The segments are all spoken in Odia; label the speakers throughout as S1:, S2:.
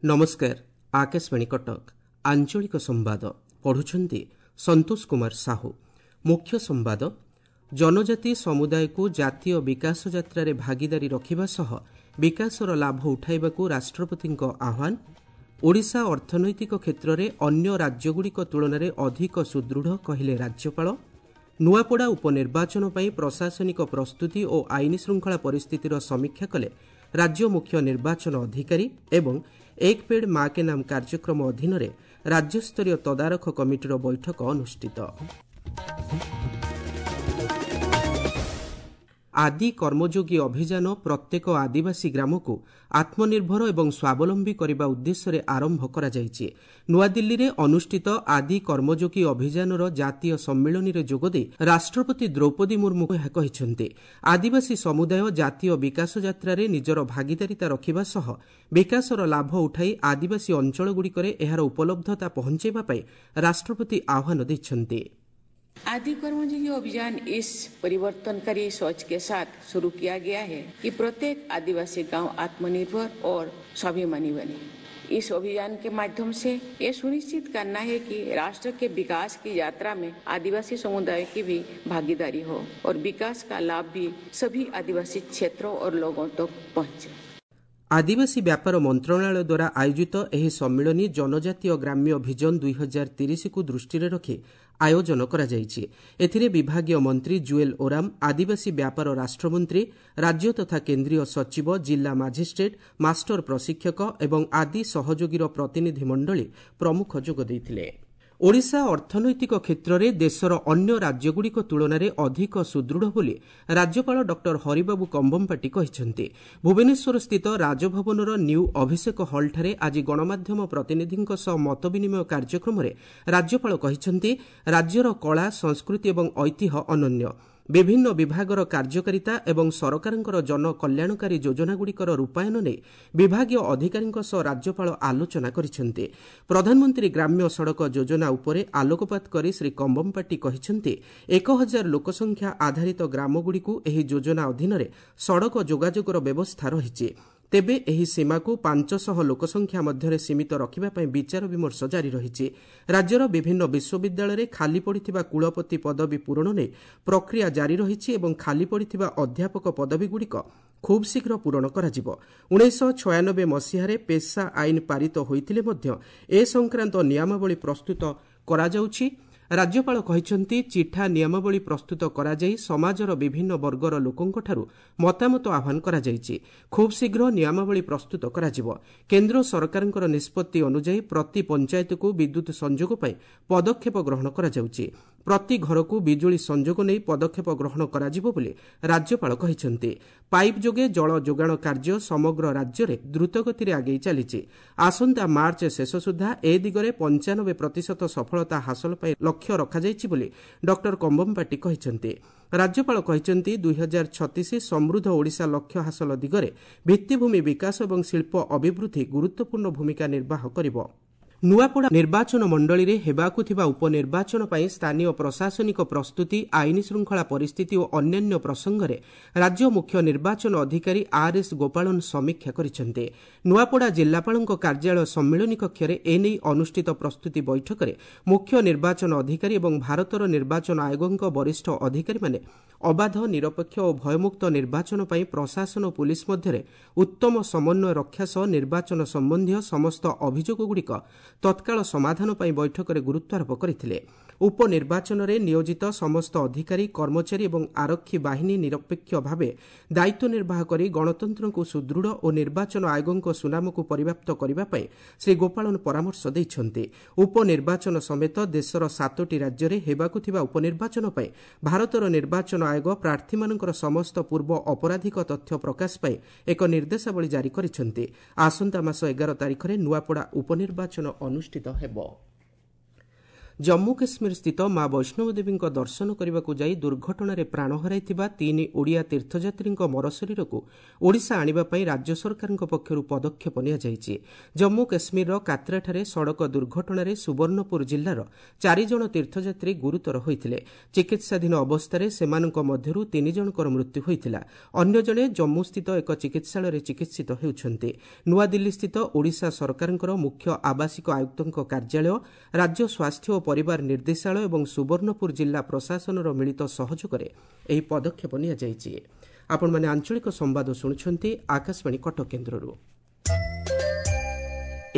S1: ନମସ୍କାର, ଆକାଶବାଣୀ କଟକ। ଆଞ୍ଚଳିକ ସମ୍ବାଦ ପଢୁଛନ୍ତି ସନ୍ତୋଷ କୁମାର ସାହୁ। ମୁଖ୍ୟ ସମ୍ବାଦ। ଜନଜାତି ସମୁଦାୟକୁ ଜାତୀୟ ବିକାଶ ଯାତ୍ରାରେ ଭାଗିଦାରୀ ରଖିବା ସହ ବିକାଶର ଲାଭ ଉଠାଇବାକୁ ରାଷ୍ଟ୍ରପତିଙ୍କ ଆହ୍ୱାନ। ଓଡ଼ିଶା ଅର୍ଥନୈତିକ କ୍ଷେତ୍ରରେ ଅନ୍ୟ ରାଜ୍ୟଗୁଡ଼ିକ ତୁଳନାରେ ଅଧିକ ସୁଦୃଢ଼, କହିଲେ ରାଜ୍ୟପାଳ। ନୂଆପଡ଼ା ଉପନିର୍ବାଚନ ପାଇଁ ପ୍ରଶାସନିକ ପ୍ରସ୍ତୁତି ଓ ଆଇନ ଶୃଙ୍ଖଳା ପରିସ୍ଥିତିର ସମୀକ୍ଷା କଲେ ରାଜ୍ୟ ମୁଖ୍ୟ ନିର୍ବାଚନ ଅଧିକାରୀ। ଏବଂ ଏକ ପେଡ୍ ମା କେ ନାମ କାର୍ଯ୍ୟକ୍ରମ ଅଧୀନରେ ରାଜ୍ୟସ୍ତରୀୟ ତଦାରଖ କମିଟିର ବୈଠକ ଅନୁଷ୍ଠିତ। ଆଦି କର୍ମଯୋଗୀ ଅଭିଯାନ ପ୍ରତ୍ୟେକ ଆଦିବାସୀ ଗ୍ରାମକୁ ଆତ୍ମନିର୍ଭର ଏବଂ ସ୍ୱାବଲମ୍ବୀ କରିବା ଉଦ୍ଦେଶ୍ୟରେ ଆରମ୍ଭ କରାଯାଇଛି। ନୂଆଦିଲ୍ଲୀରେ ଅନୁଷ୍ଠିତ ଆଦି କର୍ମଯୋଗୀ ଅଭିଯାନର ଜାତୀୟ ସମ୍ମିଳନୀରେ ଯୋଗଦେଇ ରାଷ୍ଟ୍ରପତି ଦ୍ରୌପଦୀ ମୁର୍ମୁ ଏହା କହିଛନ୍ତି। ଆଦିବାସୀ ସମୁଦାୟ ଜାତୀୟ ବିକାଶ ଯାତ୍ରାରେ ନିଜର ଭାଗିଦାରିତା ରଖିବା ସହ ବିକାଶର ଲାଭ ଉଠାଇ ଆଦିବାସୀ ଅଞ୍ଚଳଗୁଡ଼ିକରେ ଏହାର ଉପଲବ୍ଧତା ପହଞ୍ଚାଇବା ପାଇଁ ରାଷ୍ଟ୍ରପତି ଆହ୍ୱାନ ଦେଇଛନ୍ତି।
S2: आदि कर्मयोगी अभियान इस परिवर्तनकारी सोच के साथ शुरू किया गया है कि प्रत्येक आदिवासी गांव आत्मनिर्भर और स्वाभिमानी बने। इस अभियान के माध्यम से ये सुनिश्चित करना है कि राष्ट्र के विकास की यात्रा में आदिवासी समुदाय की भी भागीदारी हो और विकास का लाभ भी सभी आदिवासी क्षेत्रों और लोगों तक पहुंचे।
S1: ଆଦିବାସୀ ବ୍ୟାପାର ମନ୍ତ୍ରଣାଳୟ ଦ୍ୱାରା ଆୟୋଜିତ ଏହି ସମ୍ମିଳନୀ ଜନଜାତୀୟ ଗ୍ରାମ୍ୟ ଭିଜନ 2030କୁ ଦୃଷ୍ଟିରେ ରଖି ଆୟୋଜନ କରାଯାଇଛି। ଏଥିରେ ବିଭାଗୀୟ ମନ୍ତ୍ରୀ ଜୁଏଲ ଓରାମ, ଆଦିବାସୀ ବ୍ୟାପାର ରାଷ୍ଟ୍ରମନ୍ତ୍ରୀ, ରାଜ୍ୟ ତଥା କେନ୍ଦ୍ରୀୟ ସଚିବ, ଜିଲ୍ଲା ମାଜିଷ୍ଟ୍ରେଟ୍, ମାଷ୍ଟର ପ୍ରଶିକ୍ଷକ ଏବଂ ଆଦି ସହଯୋଗୀର ପ୍ରତିନିଧିମଣ୍ଡଳୀ ପ୍ରମୁଖ ଯୋଗ ଦେଇଥିଲେ। ଓଡ଼ିଶା ଅର୍ଥନୈତିକ କ୍ଷେତ୍ରରେ ଦେଶର ଅନ୍ୟ ରାଜ୍ୟଗୁଡ଼ିକ ତୁଳନାରେ ଅଧିକ ସୁଦୃଢ଼ ବୋଲି ରାଜ୍ୟପାଳ ଡକ୍ଟର ହରିବାବୁ କମ୍ଭମପାଟି କହିଛନ୍ତି। ଭୁବନେଶ୍ୱରସ୍ଥିତ ରାଜଭବନର ନ୍ୟୁ ଅଭିଷେକ ହଲ୍ଠାରେ ଆଜି ଗଣମାଧ୍ୟମ ପ୍ରତିନିଧିଙ୍କ ସହ ମତବିନିମୟ କାର୍ଯ୍ୟକ୍ରମରେ ରାଜ୍ୟପାଳ କହିଛନ୍ତି, ରାଜ୍ୟର କଳା, ସଂସ୍କୃତି ଏବଂ ଐତିହ୍ୟ ଅନନ୍ୟ। ବିଭିନ୍ନ ବିଭାଗର କାର୍ଯ୍ୟକାରିତା ଏବଂ ସରକାରଙ୍କର ଜନକଲ୍ୟାଣକାରୀ ଯୋଜନାଗୁଡ଼ିକର ରୂପାୟନ ନେଇ ବିଭାଗୀୟ ଅଧିକାରୀଙ୍କ ସହ ରାଜ୍ୟପାଳ ଆଲୋଚନା କରିଛନ୍ତି। ପ୍ରଧାନମନ୍ତ୍ରୀ ଗ୍ରାମ୍ୟ ସଡ଼କ ଯୋଜନା ଉପରେ ଆଲୋକପାତ କରି ଶ୍ରୀ କମ୍ଭମପାଟି କହିଛନ୍ତି, 1000 ଲୋକସଂଖ୍ୟା ଆଧାରିତ ଗ୍ରାମଗୁଡ଼ିକୁ ଏହି ଯୋଜନା ଅଧୀନରେ ସଡ଼କ ଯୋଗାଯୋଗର ବ୍ୟବସ୍ଥା ରହିଛି। ତେବେ ଏହି ସୀମାକୁ 500 ଲୋକସଂଖ୍ୟା ମଧ୍ୟରେ ସୀମିତ ରଖିବା ପାଇଁ ବିଚାର ବିମର୍ଶ ଜାରି ରହିଛି। ରାଜ୍ୟର ବିଭିନ୍ନ ବିଶ୍ୱବିଦ୍ୟାଳୟରେ ଖାଲି ପଡ଼ିଥିବା କୁଳପତି ପଦବୀ ପୂରଣ ନେଇ ପ୍ରକ୍ରିୟା ଜାରି ରହିଛି ଏବଂ ଖାଲି ପଡ଼ିଥିବା ଅଧ୍ୟାପକ ପଦବୀଗୁଡ଼ିକ ଖୁବ୍ ଶୀଘ୍ର ପୂରଣ କରାଯିବ। 1996 ମସିହାରେ ପେସା ଆଇନ ପାରିତ ହୋଇଥିଲେ ମଧ୍ୟ ଏ ସଂକ୍ରାନ୍ତ ନିୟମାବଳୀ ପ୍ରସ୍ତୁତ କରାଯାଉଛି। ରାଜ୍ୟପାଳ କହିଛନ୍ତି, ଚିଠା ନିୟମାବଳୀ ପ୍ରସ୍ତୁତ କରାଯାଇ ସମାଜର ବିଭିନ୍ନ ବର୍ଗର ଲୋକଙ୍କଠାରୁ ମତାମତ ଆହ୍ୱାନ କରାଯାଇଛି। ଖୁବ୍ ଶୀଘ୍ର ନିୟମାବଳୀ ପ୍ରସ୍ତୁତ କରାଯିବ। କେନ୍ଦ୍ର ସରକାରଙ୍କର ନିଷ୍ପତ୍ତି ଅନୁଯାୟୀ ପ୍ରତି ପଞ୍ଚାୟତକୁ ବିଦ୍ୟୁତ୍ ସଂଯୋଗ ପାଇଁ ପଦକ୍ଷେପ ଗ୍ରହଣ କରାଯାଉଛି। ପ୍ରତି ଘରକୁ ବିଜୁଳି ସଂଯୋଗ ନେଇ ପଦକ୍ଷେପ ଗ୍ରହଣ କରାଯିବ ବୋଲି ରାଜ୍ୟପାଳ କହିଛନ୍ତି। ପାଇପ୍ ଯୋଗେ ଜଳ ଯୋଗାଣ କାର୍ଯ୍ୟ ସମଗ୍ର ରାଜ୍ୟରେ ଦ୍ରୁତଗତିରେ ଆଗେଇ ଚାଲିଛି। ଆସନ୍ତା ମାର୍ଚ୍ଚ ଶେଷ ସୁଦ୍ଧା ଏ ଦିଗରେ 95% ସଫଳତା ହାସଲ ପାଇଁ ଲକ୍ଷ୍ୟ ରଖାଯାଇଛି ବୋଲି ଡକ୍ଟର କମ୍ଭମପାଟି କହିଛନ୍ତି। ରାଜ୍ୟପାଳ କହିଛନ୍ତି, 2036 ସମୃଦ୍ଧ ଓଡ଼ିଶା ଲକ୍ଷ୍ୟ ହାସଲ ଦିଗରେ ଭିତ୍ତିଭୂମି ବିକାଶ ଏବଂ ଶିଳ୍ପ ଅଭିବୃଦ୍ଧି ଗୁରୁତ୍ୱପୂର୍ଣ୍ଣ ଭୂମିକା ନିର୍ବାହ କରିବ। ନୂଆପଡ଼ା ନିର୍ବାଚନ ମଣ୍ଡଳୀରେ ହେବାକୁ ଥିବା ଉପନିର୍ବାଚନ ପାଇଁ ସ୍ଥାନୀୟ ପ୍ରଶାସନିକ ପ୍ରସ୍ତୁତି, ଆଇନ ଶୃଙ୍ଖଳା ପରିସ୍ଥିତି ଓ ଅନ୍ୟାନ୍ୟ ପ୍ରସଙ୍ଗରେ ରାଜ୍ୟ ମୁଖ୍ୟ ନିର୍ବାଚନ ଅଧିକାରୀ ଆର୍ ଏସ୍ ଗୋପାଳନ ସମୀକ୍ଷା କରିଛନ୍ତି। ନୂଆପଡ଼ା ଜିଲ୍ଲାପାଳଙ୍କ କାର୍ଯ୍ୟାଳୟ ସମ୍ମିଳନୀ କକ୍ଷରେ ଏନେଇ ଅନୁଷ୍ଠିତ ପ୍ରସ୍ତୁତି ବୈଠକରେ ମୁଖ୍ୟ ନିର୍ବାଚନ ଅଧିକାରୀ ଏବଂ ଭାରତର ନିର୍ବାଚନ ଆୟୋଗଙ୍କ ବରିଷ୍ଠ ଅଧିକାରୀମାନେ ଅବାଧ, ନିରପେକ୍ଷ ଓ ଭୟମୁକ୍ତ ନିର୍ବାଚନ ପାଇଁ ପ୍ରଶାସନ ଓ ପୁଲିସ ମଧ୍ୟରେ ଉତ୍ତମ ସମନ୍ୱୟ ରକ୍ଷା ସହ ନିର୍ବାଚନ ସମ୍ବନ୍ଧୀୟ ସମସ୍ତ ଅଭିଯୋଗଗୁଡ଼ିକ ତତ୍କାଳ ସମାଧାନ ପାଇଁ ବୈଠକରେ ଗୁରୁତ୍ୱାରୋପ କରିଥିଲେ। ଉପନିର୍ବାଚନରେ ନିୟୋଜିତ ସମସ୍ତ ଅଧିକାରୀ, କର୍ମଚାରୀ ଏବଂ ଆରକ୍ଷୀ ବାହିନୀ ନିରପେକ୍ଷ ଭାବେ ଦାୟିତ୍ୱ ନିର୍ବାହ କରି ଗଣତନ୍ତ୍ରକୁ ସୁଦୃଢ଼ ଓ ନିର୍ବାଚନ ଆୟୋଗଙ୍କ ସୁନାମକୁ ପରିବ୍ୟାପ୍ତ କରିବା ପାଇଁ ଶ୍ରୀ ଗୋପାଳନ ପରାମର୍ଶ ଦେଇଛନ୍ତି। ଉପନିର୍ବାଚନ ସମେତ ଦେଶର 7ଟି ରାଜ୍ୟରେ ହେବାକୁ ଥିବା ଉପନିର୍ବାଚନ ପାଇଁ ଭାରତର ନିର୍ବାଚନ ଆୟୋଗ ପ୍ରାର୍ଥୀମାନଙ୍କର ସମସ୍ତ ପୂର୍ବ ଅପରାଧିକ ତଥ୍ୟ ପ୍ରକାଶ ପାଇଁ ଏକ ନିର୍ଦ୍ଦେଶାବଳୀ ଜାରି କରିଛନ୍ତି। ଆସନ୍ତା ମାସ 11 ତାରିଖରେ ନୂଆପଡ଼ା ଉପନିର୍ବାଚନ ଅନୁଷ୍ଠିତ ହେବ। ଜମ୍ମୁ କାଶ୍ମୀର ସ୍ଥିତ ମା ବୈଷ୍ଣବଦେବୀଙ୍କ ଦର୍ଶନ କରିବାକୁ ଯାଇ ଦୁର୍ଘଟଣାରେ ପ୍ରାଣ ହରାଇଥିବା 3 ଓଡ଼ିଆ ତୀର୍ଥଯାତ୍ରୀଙ୍କ ମରଶରୀରକୁ ଓଡ଼ିଶା ଆଣିବା ପାଇଁ ରାଜ୍ୟ ସରକାରଙ୍କ ପକ୍ଷରୁ ପଦକ୍ଷେପ ନିଆଯାଇଛି। ଜମ୍ମୁ କାଶ୍ମୀରର କାତ୍ରାଠାରେ ସଡ଼କ ଦୁର୍ଘଟଣାରେ ସୁବର୍ଣ୍ଣପୁର ଜିଲ୍ଲାର 4 ଜଣ ତୀର୍ଥଯାତ୍ରୀ ଗୁରୁତର ହୋଇଥିଲେ। ଚିକିତ୍ସାଧୀନ ଅବସ୍ଥାରେ ସେମାନଙ୍କ ମଧ୍ୟରୁ 3 ଜଣଙ୍କର ମୃତ୍ୟୁ ହୋଇଥିଲା। ଅନ୍ୟ ଜଣେ ଜମ୍ମୁସ୍ଥିତ ଏକ ଚିକିତ୍ସାଳୟରେ ଚିକିତ୍ସିତ ହେଉଛନ୍ତି। ନୂଆଦିଲ୍ଲୀସ୍ଥିତ ଓଡ଼ିଶା ସରକାରଙ୍କର ମୁଖ୍ୟ ଆବାସିକ ଆୟୁକ୍ତଙ୍କ କାର୍ଯ୍ୟାଳୟ, ରାଜ୍ୟ ସ୍ୱାସ୍ଥ୍ୟ ଓ ପରିବାର ନିର୍ଦ୍ଦେଶାଳୟ ଏବଂ ସୁବର୍ଣ୍ଣପୁର ଜିଲ୍ଲା ପ୍ରଶାସନର ମିଳିତ ସହଯୋଗରେ ଏହି ପଦକ୍ଷେପ ନିଆଯାଇଛି। ଆପଣମାନେ ଆଞ୍ଚଳିକ ସମ୍ବାଦ ଶୁଣୁଛନ୍ତି ଆକାଶବାଣୀ କଟକ କେନ୍ଦ୍ରରୁ।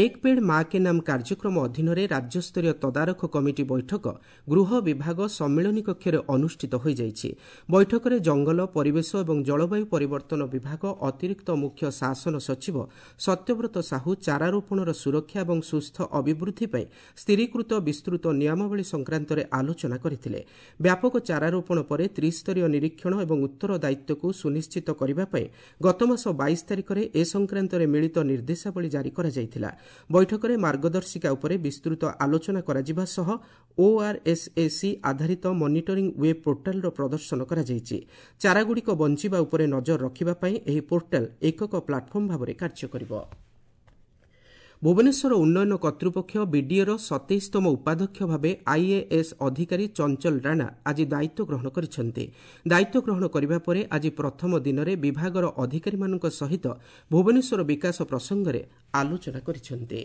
S1: ଏକ ପେଡ୍ ମା କେ ନାମ କାର୍ଯ୍ୟକ୍ରମ ଅଧୀନରେ ରାଜ୍ୟସ୍ତରୀୟ ତଦାରଖ କମିଟି ବୈଠକ ଗୃହ ବିଭାଗ ସମ୍ମିଳନୀ କକ୍ଷରେ ଅନୁଷ୍ଠିତ ହୋଇଯାଇଛି। ବୈଠକରେ ଜଙ୍ଗଲ, ପରିବେଶ ଏବଂ ଜଳବାୟୁ ପରିବର୍ତ୍ତନ ବିଭାଗ ଅତିରିକ୍ତ ମୁଖ୍ୟ ଶାସନ ସଚିବ ସତ୍ୟବ୍ରତ ସାହୁ ଚାରାରୋପଣର ସୁରକ୍ଷା ଏବଂ ସୁସ୍ଥ ଅଭିବୃଦ୍ଧି ପାଇଁ ସ୍ଥିରୀକୃତ ବିସ୍ତୃତ ନିୟମାବଳୀ ସଂକ୍ରାନ୍ତରେ ଆଲୋଚନା କରିଥିଲେ। ବ୍ୟାପକ ଚାରାରୋପଣ ପରେ ତ୍ରିସ୍ତରୀୟ ନିରୀକ୍ଷଣ ଏବଂ ଉତ୍ତରଦାୟିତ୍ୱକୁ ସୁନିଶ୍ଚିତ କରିବା ପାଇଁ ଗତମାସ 22 ତାରିଖରେ ଏ ସଂକ୍ରାନ୍ତରେ ମିଳିତ ନିର୍ଦ୍ଦେଶାବଳୀ ଜାରି କରାଯାଇଥିଲା। ବୈଠକରେ ମାର୍ଗଦର୍ଶିକା ଉପରେ ବିସ୍ତୃତ ଆଲୋଚନା କରାଯିବା ସହ ଓଆର୍ଏସ୍ଏସି ଆଧାରିତ ମନିଟରିଂ ୱେବ୍ ପୋର୍ଟାଲର ପ୍ରଦର୍ଶନ କରାଯାଇଛି। ଚାରାଗୁଡ଼ିକ ବଞ୍ଚିବା ଉପରେ ନଜର ରଖିବା ପାଇଁ ଏହି ପୋର୍ଟାଲ ଏକକ ପ୍ଲାଟଫର୍ମ ଭାବରେ କାର୍ଯ୍ୟ କରିବ। ଭୁବନେଶ୍ୱର ଉନ୍ନୟନ କର୍ତ୍ତୃପକ୍ଷ ବିଡିଏର 27ତମ ଉପାଧ୍ୟକ୍ଷ ଭାବେ ଆଇଏଏସ୍ ଅଧିକାରୀ ଚଞ୍ଚଲ ରାଣା ଆଜି ଦାୟିତ୍ୱ ଗ୍ରହଣ କରିଛନ୍ତି। ଦାୟିତ୍ୱ ଗ୍ରହଣ କରିବା ପରେ ଆଜି ପ୍ରଥମ ଦିନରେ ବିଭାଗର ଅଧିକାରୀମାନଙ୍କ ସହିତ ଭୁବନେଶ୍ୱର ବିକାଶ ପ୍ରସଙ୍ଗରେ ଆଲୋଚନା କରିଛନ୍ତି।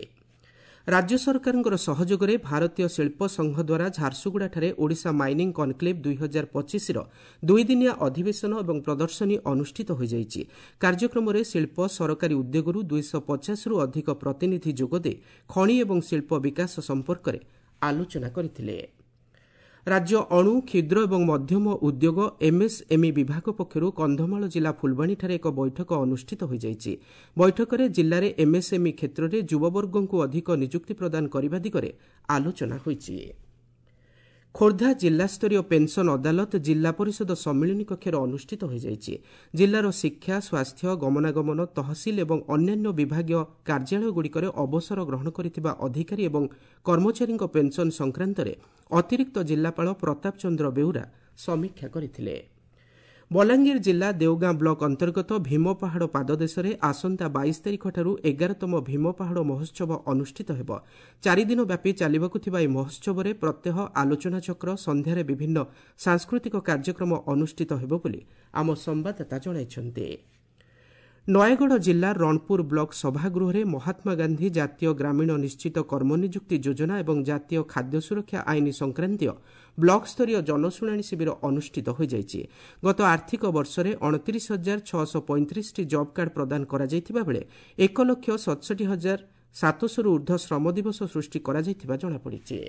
S1: ରାଜ୍ୟ ସରକାରଙ୍କର ସହଯୋଗରେ ଭାରତୀୟ ଶିଳ୍ପ ସଂଘ ଦ୍ୱାରା ଝାରସୁଗୁଡ଼ାଠାରେ ଓଡ଼ିଶା ମାଇନିଂ କନ୍କ୍ଲେଭ୍ 2025ର ଦୁଇଦିନିଆ ଅଧିବେଶନ ଏବଂ ପ୍ରଦର୍ଶନୀ ଅନୁଷ୍ଠିତ ହୋଇଯାଇଛି। କାର୍ଯ୍ୟକ୍ରମରେ ଶିଳ୍ପ, ସରକାରୀ ଉଦ୍ୟୋଗରୁ 250ରୁ ଅଧିକ ପ୍ରତିନିଧି ଯୋଗଦେଇ ଖଣି ଏବଂ ଶିଳ୍ପ ବିକାଶ ସମ୍ପର୍କରେ ଆଲୋଚନା କରିଥିଲେ। ରାଜ୍ୟ ଅଣୁ, କ୍ଷୁଦ୍ର ଏବଂ ମଧ୍ୟମ ଉଦ୍ୟୋଗ ଏମ୍ଏସ୍ଏମ୍ଇ ବିଭାଗ ପକ୍ଷରୁ କନ୍ଧମାଳ ଜିଲ୍ଲା ଫୁଲବାଣୀଠାରେ ଏକ ବୈଠକ ଅନୁଷ୍ଠିତ ହୋଇଯାଇଛି। ବୈଠକରେ ଜିଲ୍ଲାରେ ଏମ୍ଏସ୍ଏମ୍ଇ କ୍ଷେତ୍ରରେ ଯୁବବର୍ଗଙ୍କୁ ଅଧିକ ନିଯୁକ୍ତି ପ୍ରଦାନ କରିବା ଦିଗରେ ଆଲୋଚନା ହୋଇଛି। ଖୋର୍ଦ୍ଧା ଜିଲ୍ଲାସ୍ତରୀୟ ପେନ୍ସନ୍ ଅଦାଲତ ଜିଲ୍ଲା ପରିଷଦ ସମ୍ମିଳନୀ କକ୍ଷରେ ଅନୁଷ୍ଠିତ ହୋଇଯାଇଛି। ଜିଲ୍ଲାର ଶିକ୍ଷା, ସ୍ୱାସ୍ଥ୍ୟ, ଗମନାଗମନ, ତହସିଲ ଏବଂ ଅନ୍ୟାନ୍ୟ ବିଭାଗୀୟ କାର୍ଯ୍ୟାଳୟଗୁଡ଼ିକରେ ଅବସର ଗ୍ରହଣ କରିଥିବା ଅଧିକାରୀ ଏବଂ କର୍ମଚାରୀଙ୍କ ପେନ୍ସନ୍ ସଂକ୍ରାନ୍ତରେ ଅତିରିକ୍ତ ଜିଲ୍ଲାପାଳ ପ୍ରତାପ ଚନ୍ଦ୍ର ବେଉରା ସମୀକ୍ଷା କରିଥିଲେ। ବଲାଙ୍ଗୀର ଜିଲ୍ଲା ଦେଓଗାଁ ବ୍ଲକ ଅନ୍ତର୍ଗତ ଭୀମପାହାଡ଼ ପାଦଦେଶରେ ଆସନ୍ତା 22 ତାରିଖଠାରୁ 11ତମ ଭୀମପାହାଡ଼ ମହୋତ୍ସବ ଅନୁଷ୍ଠିତ ହେବ। 4 ଦିନ ବ୍ୟାପୀ ଚାଲିବାକୁ ଥିବା ଏହି ମହୋତ୍ସବରେ ପ୍ରତ୍ୟହ ଆଲୋଚନାଚକ୍ର, ସନ୍ଧ୍ୟାରେ ବିଭିନ୍ନ ସାଂସ୍କୃତିକ କାର୍ଯ୍ୟକ୍ରମ ଅନୁଷ୍ଠିତ ହେବ ବୋଲି ଆମ ସମ୍ବାଦଦାତା ଜଣାଇଛନ୍ତି। ନୟାଗଡ଼ ଜିଲ୍ଲା ରଣପୁର ବ୍ଲକ ସଭାଗୃହରେ ମହାତ୍ମା ଗାନ୍ଧୀ ଜାତୀୟ ଗ୍ରାମୀଣ ନିଶ୍ଚିତ କର୍ମନିଯୁକ୍ତି ଯୋଜନା ଏବଂ ଜାତୀୟ ଖାଦ୍ୟ ସୁରକ୍ଷା ଆଇନ ସଂକ୍ରାନ୍ତୀୟ ବ୍ଲକସ୍ତରୀୟ ଜନଶୁଣାଣି ଶିବିର ଅନୁଷ୍ଠିତ ହୋଇଯାଇଛି। ଗତ ଆର୍ଥିକ ବର୍ଷରେ 29,635ଟି ଜବ୍ କାର୍ଡ ପ୍ରଦାନ କରାଯାଇଥିବା ବେଳେ 1,67,700ରୁ ଉର୍ଦ୍ଧ୍ୱ ଶ୍ରମ ଦିବସ ସୃଷ୍ଟି କରାଯାଇଥିବା ଜଣାପଡ଼ିଛି।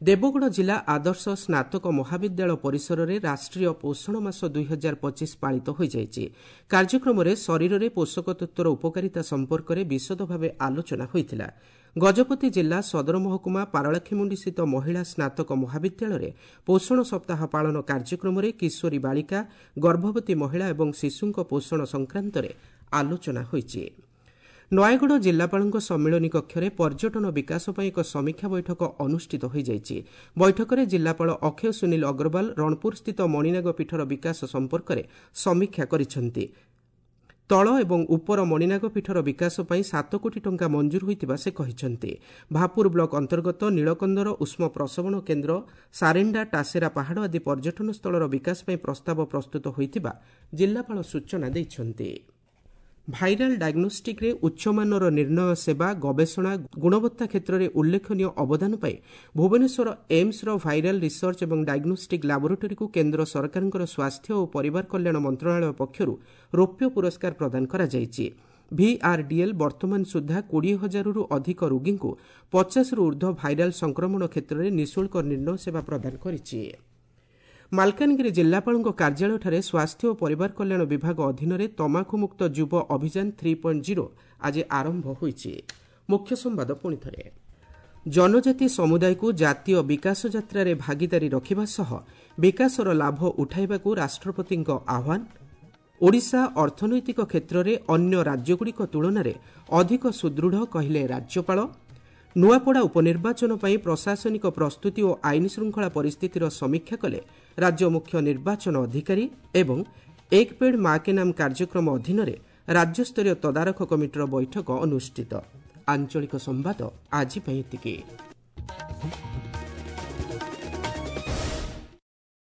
S1: ଦେବଗଡ଼ ଜିଲ୍ଲା ଆଦର୍ଶ ସ୍ନାତକ ମହାବିଦ୍ୟାଳୟ ପରିସରରେ ରାଷ୍ଟ୍ରୀୟ ପୋଷଣ ମାସ 2025 ପାଳିତ ହୋଇଯାଇଛି। କାର୍ଯ୍ୟକ୍ରମରେ ଶରୀରରେ ପୋଷକ ତତ୍ତ୍ୱର ଉପକାରିତା ସମ୍ପର୍କରେ ବିଶଦ ଭାବେ ଆଲୋଚନା ହୋଇଥିଲା। ଗଜପତି ଜିଲ୍ଲା ସଦର ମହକୁମା ପାରଳାଖେମୁଣ୍ଡିସ୍ଥିତ ମହିଳା ସ୍ନାତକ ମହାବିଦ୍ୟାଳୟରେ ପୋଷଣ ସପ୍ତାହ ପାଳନ କାର୍ଯ୍ୟକ୍ରମରେ କିଶୋରୀ ବାଳିକା, ଗର୍ଭବତୀ ମହିଳା ଏବଂ ଶିଶୁଙ୍କ ପୋଷଣ ସଂକ୍ରାନ୍ତରେ ଆଲୋଚନା ହୋଇଛି। ନୟାଗଡ଼ ଜିଲ୍ଲାପାଳଙ୍କ ସମ୍ମିଳନୀ କକ୍ଷରେ ପର୍ଯ୍ୟଟନ ବିକାଶ ପାଇଁ ଏକ ସମୀକ୍ଷା ବୈଠକ ଅନୁଷ୍ଠିତ ହୋଇଯାଇଛି। ବୈଠକରେ ଜିଲ୍ଲାପାଳ ଅକ୍ଷୟ ସୁନୀଲ ଅଗ୍ରୱାଲ ରଣପୁରସ୍ଥିତ ମଣିନାଗ ପୀଠର ବିକାଶ ସମ୍ପର୍କରେ ସମୀକ୍ଷା କରିଛନ୍ତି। ତଳ ଏବଂ ଉପର ମଣିନାଗ ପୀଠର ବିକାଶ ପାଇଁ 7 କୋଟି ଟଙ୍କା ମଞ୍ଜୁର ହୋଇଥିବା ସେ କହିଛନ୍ତି। ଭାପୁର ବ୍ଲକ ଅନ୍ତର୍ଗତ ନୀଳକନ୍ଦର ଉଷ୍ମ ପ୍ରସବଣ କେନ୍ଦ୍ର, ସାରେଣ୍ଡା, ଟାସେରା ପାହାଡ଼ ଆଦି ପର୍ଯ୍ୟଟନ ସ୍ଥଳର ବିକାଶ ପାଇଁ ପ୍ରସ୍ତାବ ପ୍ରସ୍ତୁତ ହୋଇଥିବା ଜିଲ୍ଲାପାଳ ସୂଚନା ଦେଇଛନ୍ତି। ଭାଇରାଲ ଡାଇଗ୍ନୋଷ୍ଟିକ୍ରେ ଉଚ୍ଚମାନର ନିର୍ଣ୍ଣୟ ସେବା, ଗବେଷଣା, ଗୁଣବତ୍ତା କ୍ଷେତ୍ରରେ ଉଲ୍ଲେଖନୀୟ ଅବଦାନ ପାଇଁ ଭୁବନେଶ୍ୱର ଏମ୍ସର ଭାଇରାଲ ରିସର୍ଚ୍ଚ ଏବଂ ଡାଇଗ୍ନୋଷ୍ଟିକ୍ ଲାବୋରେଟୋରୀକୁ କେନ୍ଦ୍ର ସରକାରଙ୍କର ସ୍ୱାସ୍ଥ୍ୟ ଓ ପରିବାର କଲ୍ୟାଣ ମନ୍ତ୍ରଣାଳୟ ପକ୍ଷରୁ ରୌପ୍ୟ ପୁରସ୍କାର ପ୍ରଦାନ କରାଯାଇଛି। ଭିଆର୍ଡିଏଲ୍ ବର୍ତ୍ତମାନ ସୁଦ୍ଧା 20,000ରୁ ଅଧିକ ରୋଗୀଙ୍କୁ 50ରୁ ଉର୍ଦ୍ଧ୍ୱ ଭାଇରାଲ ସଂକ୍ରମଣ କ୍ଷେତ୍ରରେ ନିଃଶୁଳ୍କ ନିର୍ଣ୍ଣୟ ସେବା ପ୍ରଦାନ କରିଛି। ମାଲକାନଗିରି ଜିଲ୍ଲାପାଳଙ୍କ କାର୍ଯ୍ୟାଳୟଠାରେ ସ୍ୱାସ୍ଥ୍ୟ ଓ ପରିବାର କଲ୍ୟାଣ ବିଭାଗ ଅଧୀନରେ ତମାଖୁମୁକ୍ତ ଯୁବ ଅଭିଯାନ 3.0 ଆଜି ଆରମ୍ଭ ହୋଇଛି। ମୁଖ୍ୟ ସମ୍ବାଦ ପୁଣିଥରେ। ଜନଜାତି ସମୁଦାୟକୁ ଜାତୀୟ ବିକାଶ ଯାତ୍ରାରେ ଭାଗିଦାରୀ ରଖିବା ସହ ବିକାଶର ଲାଭ ଉଠାଇବାକୁ ରାଷ୍ଟ୍ରପତିଙ୍କ ଆହ୍ୱାନ। ଓଡ଼ିଶା ଅର୍ଥନୈତିକ କ୍ଷେତ୍ରରେ ଅନ୍ୟ ରାଜ୍ୟଗୁଡ଼ିକ ତୁଳନାରେ ଅଧିକ ସୁଦୃଢ଼ କହିଲେ ରାଜ୍ୟପାଳ। ନୂଆପଡ଼ା ଉପନିର୍ବାଚନ ପାଇଁ ପ୍ରଶାସନିକ ପ୍ରସ୍ତୁତି ଓ ଆଇନ ଶୃଙ୍ଖଳା ପରିସ୍ଥିତିର ସମୀକ୍ଷା କଲେ ରାଜ୍ୟ ମୁଖ୍ୟ ନିର୍ବାଚନ ଅଧିକାରୀ ଏବଂ ଏକ ପେଡ୍ ମା କେ ନାମ କାର୍ଯ୍ୟକ୍ରମ ଅଧୀନରେ ରାଜ୍ୟସ୍ତରୀୟ ତଦାରଖ କମିଟିର ବୈଠକ ଅନୁଷ୍ଠିତ। ଆଞ୍ଚଳିକ ସମ୍ବାଦ ଆଜି ପାଇଁ ଏତିକି।